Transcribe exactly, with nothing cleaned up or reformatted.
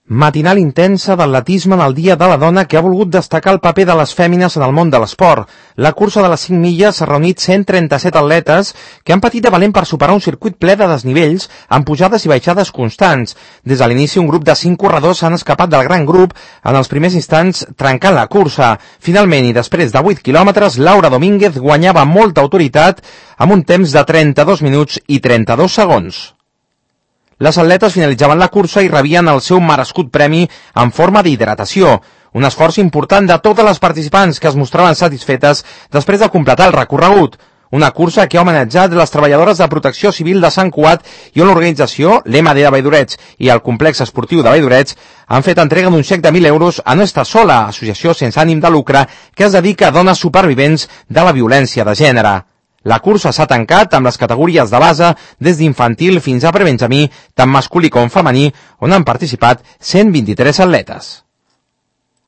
Matinal intensa d'atletisme en el Dia de la Dona que ha volgut destacar el paper de les fèmines en el món de l'esport. La cursa de les cinc milles s'ha reunit cent trenta-set atletes que han patit de valent per superar un circuit ple de desnivells amb pujades i baixades constants. Des de l'inici, un grup de cinc corredors s'han escapat del gran grup en els primers instants trencant la cursa. Finalment, i després de vuit quilòmetres, Laura Domínguez guanyava amb molta autoritat amb un temps de trenta-dos minuts i trenta-dos segons. Les atletes finalitzaven la cursa i rebien el seu merescut premi en forma d'hidratació, un esforç important de totes les participants que es mostraven satisfetes després de completar el recorregut. Una cursa que ha homenatjat les treballadores de Protecció Civil de Sant Cugat i on l'organització, l'E M D de Valldoreix i el Complex Esportiu de Valldoreix han fet entrega d'un xec de mil euros a No Estàs Sola, associació sense ànim de lucre que es dedica a dones supervivents de la violència de gènere. La cursa s'ha tancat amb les categories de base des d'infantil fins a prebenjamí, tant masculí com femení, on han participat cent vint-i-tres atletes.